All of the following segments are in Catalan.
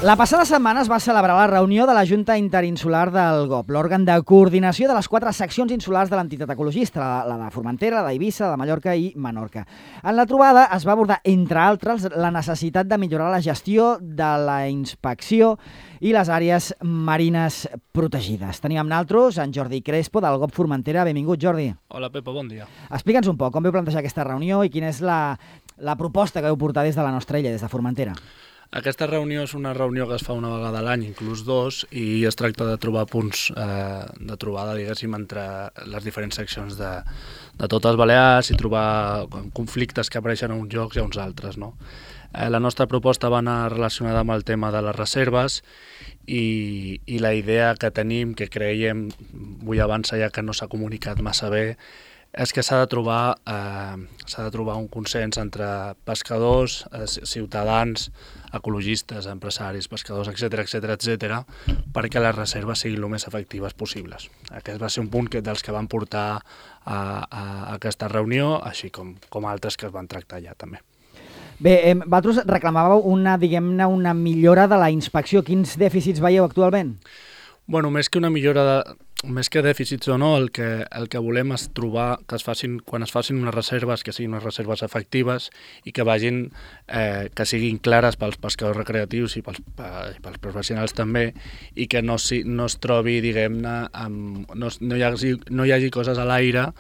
La passada setmana es va celebrar la reunió de la Junta Interinsular del GOP, l'òrgan de coordinació de les 4 seccions insulars de l'entitat ecologista, la de Formentera, la d'Eivissa, la de Mallorca i Menorca. En la trobada es va abordar, entre altres, la necessitat de millorar la gestió de la inspecció i les àrees marines protegides. Tenim amb nosaltres en Jordi Crespo, del GOP Formentera. Benvingut, Jordi. Hola, Pepa, bon dia. Explica'ns un poc com veu plantejar aquesta reunió i quina és la proposta que veu portar des de la nostra illa, des de Formentera. Aquesta reunió és una reunió que es fa una vegada a l'any, inclús 2, i es tracta de trobar punts de trobada, diguéssim, entre les diferents seccions de totes Balears i trobar conflictes que apareixen a uns llocs i a uns altres, no? La nostra proposta va anar relacionada amb el tema de les reserves i la idea que tenim, que creiem, vull avançar ja que no s'ha comunicat massa bé, és que s'ha de trobar un consens entre pescadors, ciutadans, ecologistes, empresaris, pescadors, etc, perquè les reserves siguin el més efectives possibles. Aquest va ser un punt dels que van portar a aquesta reunió, així com altres que es van tractar ja també. Bé, vosaltres reclamàveu una millora de la inspecció. Quins dèficits veieu actualment? Bueno, més que una millora més que dèficits o no, el que volem és trobar que quan es facin unes reserves, que siguin unes reserves efectives i que que siguin clares pels pescadors recreatius i pels professionals també, i que no es trobi, diguem-ne, no hi hagi coses a l'aire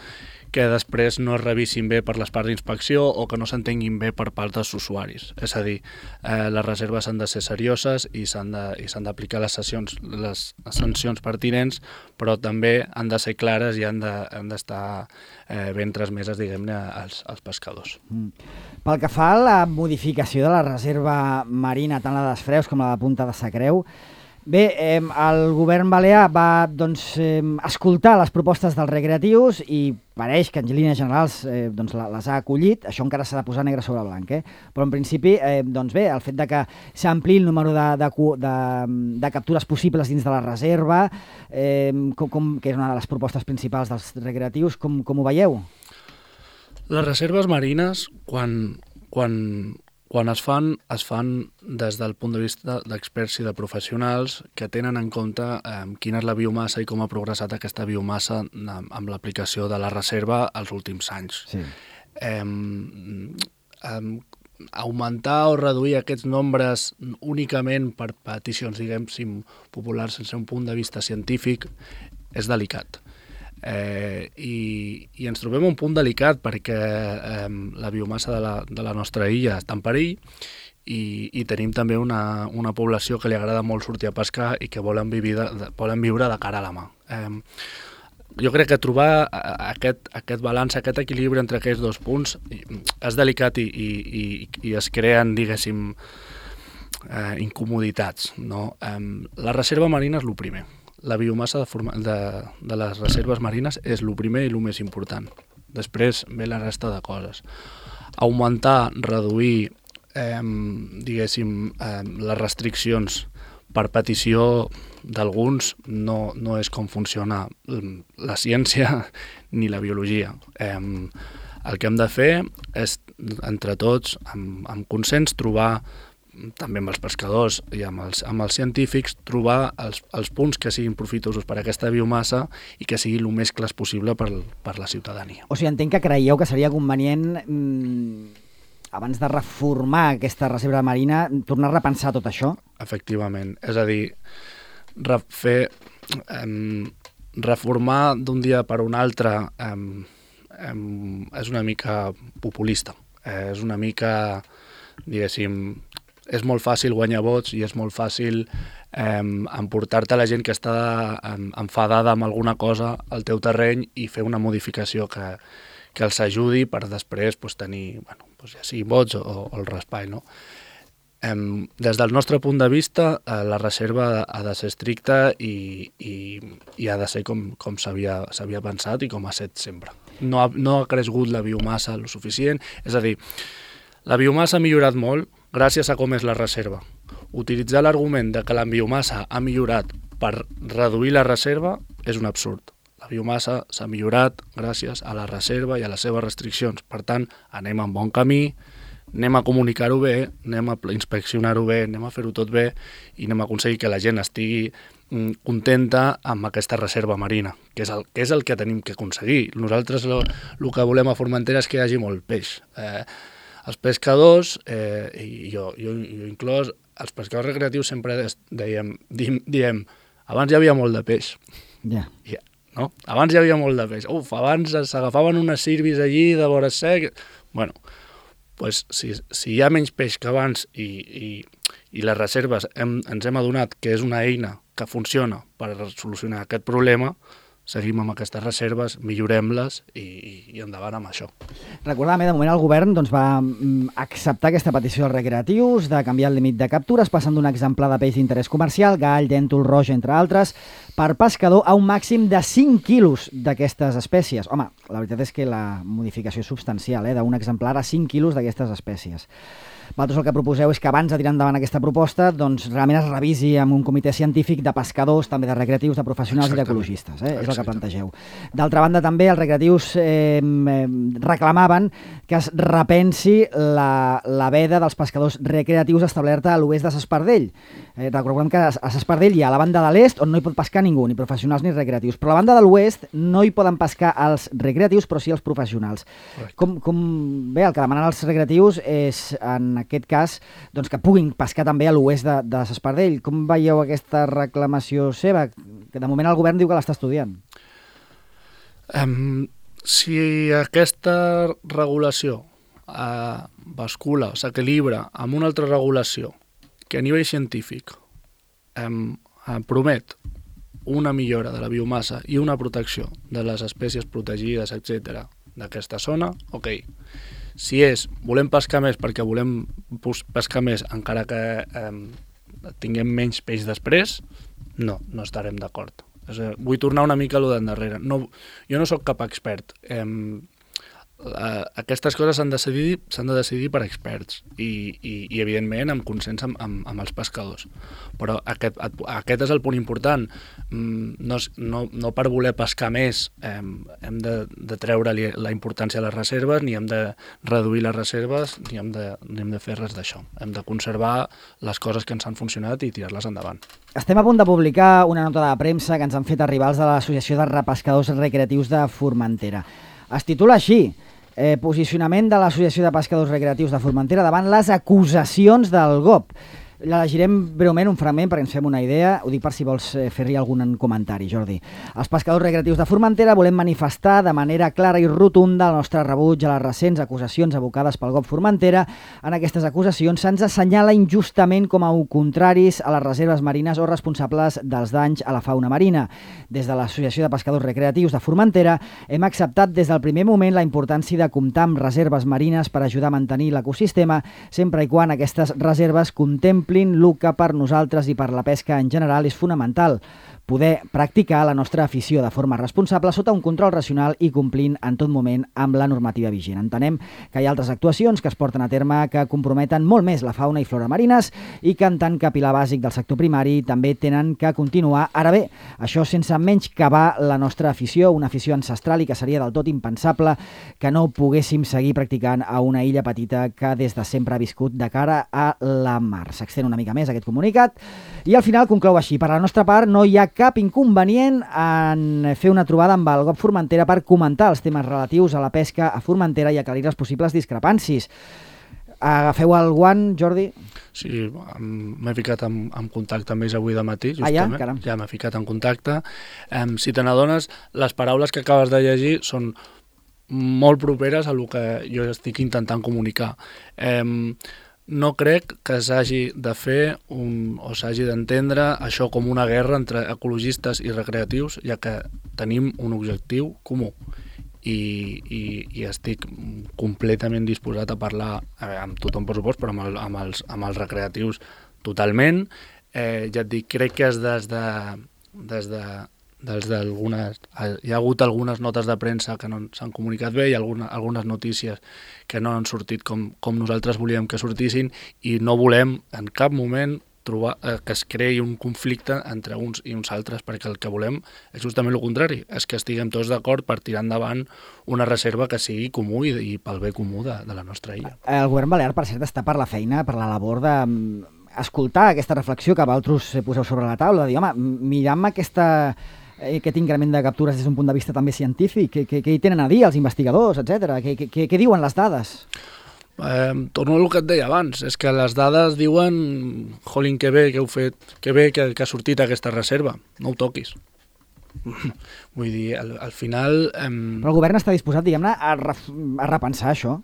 que després no es revisin bé per les parts d'inspecció o que no s'entenguin bé per part dels usuaris. És a dir, les reserves han de ser serioses i s'han d'aplicar les sancions pertinents, però també han de ser clares i han d'estar ben transmeses, diguem-ne, als pescadors. Pel que fa a la modificació de la reserva marina, tant la d'Esfreus com la de Punta de Sacreu, bé, el govern balear va escoltar les propostes dels recreatius i pareix que en línies generals les ha acollit. Això encara s'ha de posar negre sobre blanc, però en principi, bé, el fet de que s'ampliï el número de captures possibles dins de la reserva, que és una de les propostes principals dels recreatius, com ho veieu? Les reserves marines, quan es fan des del punt de vista d'experts i de professionals que tenen en compte quina és la biomassa i com ha progressat aquesta biomassa amb l'aplicació de la reserva els últims anys. Sí. Augmentar o reduir aquests nombres únicament per peticions, diguem-ne, populars sense un punt de vista científic és delicat. I ens trobem un punt delicat perquè la biomassa de la nostra illa està en perill i tenim també una població que li agrada molt sortir a pescar i que volen viure de cara a la mà. Jo crec que trobar aquest balanç, aquest equilibri entre aquests dos punts és delicat i es creen, diguéssim, incomoditats, no? La reserva marina és el primer. La biomassa de les reserves marines és el primer i el més important. Després ve la resta de coses. Augmentar, reduir, diguéssim, les restriccions per petició d'alguns no és com funciona la ciència ni la biologia. El que hem de fer és, entre tots, amb consens, trobar també amb els pescadors i amb els científics, trobar els punts que siguin profitosos per a aquesta biomassa i que siguin el més clars possible per la ciutadania. O sigui, entenc que creieu que seria convenient, abans de reformar aquesta reserva marina, tornar a repensar tot això? Efectivament. És a dir, reformar d'un dia per un altre és una mica populista. És una mica, diguéssim, és molt fàcil guanyar vots i és molt fàcil emportar-te la gent que està enfadada amb alguna cosa al teu terreny i fer una modificació que els ajudi per després tenir, ja sigui vots o el raspall, no? Des del nostre punt de vista, la reserva ha de ser estricta i ha de ser com s'havia pensat i com ha estat sempre. No ha crescut la biomassa el suficient, és a dir, la biomassa ha millorat molt gràcies a com és la reserva. Utilitzar l'argument de que la biomassa ha millorat per reduir la reserva és un absurd. La biomassa s'ha millorat gràcies a la reserva i a les seves restriccions. Per tant, anem en bon camí, anem a comunicar-ho bé, anem a inspeccionar-ho bé, anem a fer-ho tot bé i anem a aconseguir que la gent estigui contenta amb aquesta reserva marina, que és el que tenim que aconseguir. Nosaltres el que volem a Formentera és que hi hagi molt peix. Els pescadors, i jo inclòs, els pescadors recreatius sempre diem abans hi havia molt de peix. Ja. No? Abans hi havia molt de peix. Abans s'agafaven unes sirvis allí de vora sec. Bueno, pues, si hi ha menys peix que abans i les reserves ens hem adonat que és una eina que funciona per solucionar aquest problema, seguim amb aquestes reserves, millorem-les i endavant amb això. Recordàvem, de moment el govern va acceptar aquesta petició dels recreatius de canviar el límit de captures, passant d'un exemplar de peix d'interès comercial, gall, dèntol, roja, entre altres, per pescador a un màxim de 5 quilos d'aquestes espècies. Home, la veritat és que la modificació és substancial, d'un exemplar a 5 quilos d'aquestes espècies. Vosaltres el que proposeu és que abans de tirar endavant aquesta proposta realment es revisi amb un comitè científic de pescadors, també de recreatius, de professionals i d'ecologistes. És el que plantegeu. D'altra banda, també els recreatius reclamaven que es repensi la veda dels pescadors recreatius establerta a l'oest de S'Espardell. Recordem que a S'Espardell hi ha la banda de l'est on no hi pot pescar ningú, ni professionals ni recreatius, però a la banda de l'oest no hi poden pescar els recreatius, però sí els professionals. Bé, el que demanen els recreatius és, en aquest cas, que puguin pescar també a l'oest de S'Espardell. Com veieu aquesta reclamació seva? Que de moment el govern diu que l'està estudiant. Si aquesta regulació bascula, s'equilibra amb una altra regulació que a nivell científic promet una millora de la biomassa i una protecció de les espècies protegides, etc., d'aquesta zona, ok. Si volem pescar més perquè volem pescar més encara que tinguem menys peix després, no estarem d'acord. Vull tornar una mica a lo d'endarrere. Jo no sóc cap expert. Aquestes coses s'han de decidir per experts i evidentment amb consens amb els pescadors. Però aquest és el punt important. No per voler pescar més hem de treure-li la importància a les reserves, ni hem de reduir les reserves, ni hem de fer res d'això. Hem de conservar les coses que ens han funcionat i tirar-les endavant. Estem a punt de publicar una nota de premsa que ens han fet arribar els de l'Associació de Repescadors Recreatius de Formentera. Es titula així: posicionament de l'Associació de Pescadors Recreatius de Formentera davant les acusacions del GOP. Llegirem breument un fragment perquè ens fem una idea. Ho dic per si vols fer-hi algun comentari, Jordi. Els pescadors recreatius de Formentera volem manifestar de manera clara i rotunda el nostre rebuig a les recents acusacions abocades pel GOP Formentera. En aquestes acusacions se'ns assenyala injustament com a contraris a les reserves marines o responsables dels danys a la fauna marina. Des de l'Associació de Pescadors Recreatius de Formentera hem acceptat des del primer moment la importància de comptar amb reserves marines per ajudar a mantenir l'ecosistema, sempre i quan aquestes reserves contemplin el que per nosaltres i per la pesca en general és fonamental: poder practicar la nostra afició de forma responsable sota un control racional i complint en tot moment amb la normativa vigent. Entenem que hi ha altres actuacions que es porten a terme que comprometen molt més la fauna i flora marines i que en tant que pilar bàsic del sector primari també tenen que continuar. Ara bé, això sense menyscabar la nostra afició, una afició ancestral i que seria del tot impensable que no poguéssim seguir practicant a una illa petita que des de sempre ha viscut de cara a la mar. S'extén una mica més aquest comunicat i al final conclou així: per la nostra part no hi ha cap inconvenient en fer una trobada amb el GOP Formentera per comentar els temes relatius a la pesca a Formentera i aclarir les possibles discrepàncies. Agafeu el guant, Jordi? Sí, m'he ficat en contacte amb ells avui de matí, justament. Ja m'he ficat en contacte. Si te n'adones, les paraules que acabes de llegir són molt properes a el que jo estic intentant comunicar. No crec que s'hagi de fer o s'hagi d'entendre això com una guerra entre ecologistes i recreatius, ja que tenim un objectiu comú i estic completament disposat a parlar amb tothom, per supost, però amb els recreatius totalment. Ja et dic, crec que és hi ha hagut algunes notes de premsa que no s'han comunicat bé i algunes notícies que no han sortit com nosaltres volíem que sortissin, i no volem en cap moment que es creï un conflicte entre uns i uns altres, perquè el que volem és justament el contrari, és que estiguem tots d'acord per tirar endavant una reserva que sigui comú i pel bé comú de la nostra illa. El govern balear, per cert, està per la feina, per la labor de escoltar aquesta reflexió que vosaltres poseu sobre la taula, de dir, home, mirant aquest increment de captures des d'un punt de vista també científic, què hi tenen a dir els investigadors, etc. Què diuen les dades? Torno al que et deia abans, és que les dades diuen jolín, que bé que heu fet, que bé que ha sortit aquesta reserva, no ho toquis. Vull dir, al final... Però el govern està disposat, diguem-ne, a repensar això?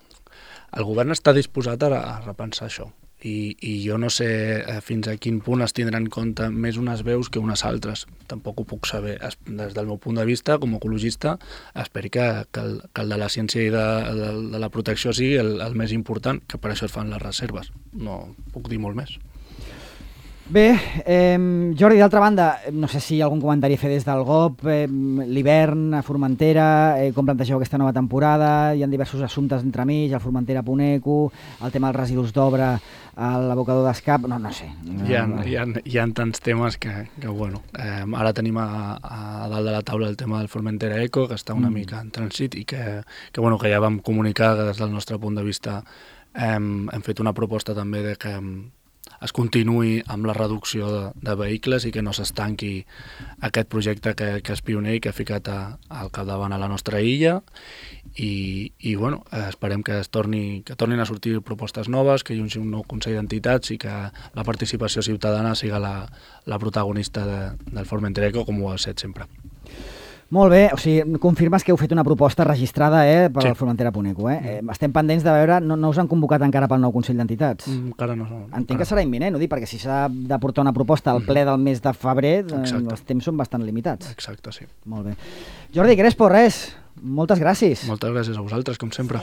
El govern està disposat a repensar això. I jo no sé fins a quin punt es tindran en compte més unes veus que unes altres. Tampoc ho puc saber. Des del meu punt de vista, com a ecologista, espero que el de la ciència i de la protecció sigui el més important, que per això es fan les reserves. No puc dir molt més. Bé, Jordi, d'altra banda, no sé si hi ha algun comentari a fer des del GOP, l'hivern a Formentera, com plantegeu aquesta nova temporada, hi ha diversos assumptes entremig, el Formentera-Puneco, el tema dels residus d'obra a l'abocador d'Escap, no sé. Hi ha tants temes que bueno, ara tenim a dalt de la taula el tema del Formentera Eco, que està una mica en trànsit i que ja vam comunicar que des del nostre punt de vista hem fet una proposta també de que es continuï amb la reducció de vehicles i que no s'estanqui aquest projecte que és pioner i que ha ficat al capdavant a la nostra illa i bueno, esperem que tornin a sortir propostes noves, que hi hagi un nou Consell d'Entitats i que la participació ciutadana siga la protagonista del Formentera Eco, com ho ha estat sempre. Molt bé, o sigui, confirmes que heu fet una proposta registrada per al Formentera-Puneco. Estem pendents de veure, no us han convocat encara pel nou Consell d'Entitats? Encara no. Entenc que serà imminent, ho dic, perquè si s'ha de portar una proposta al ple del mes de febrer, els temps són bastant limitats. Exacte, sí. Molt bé. Jordi Crespo, moltes gràcies. Moltes gràcies a vosaltres, com sempre.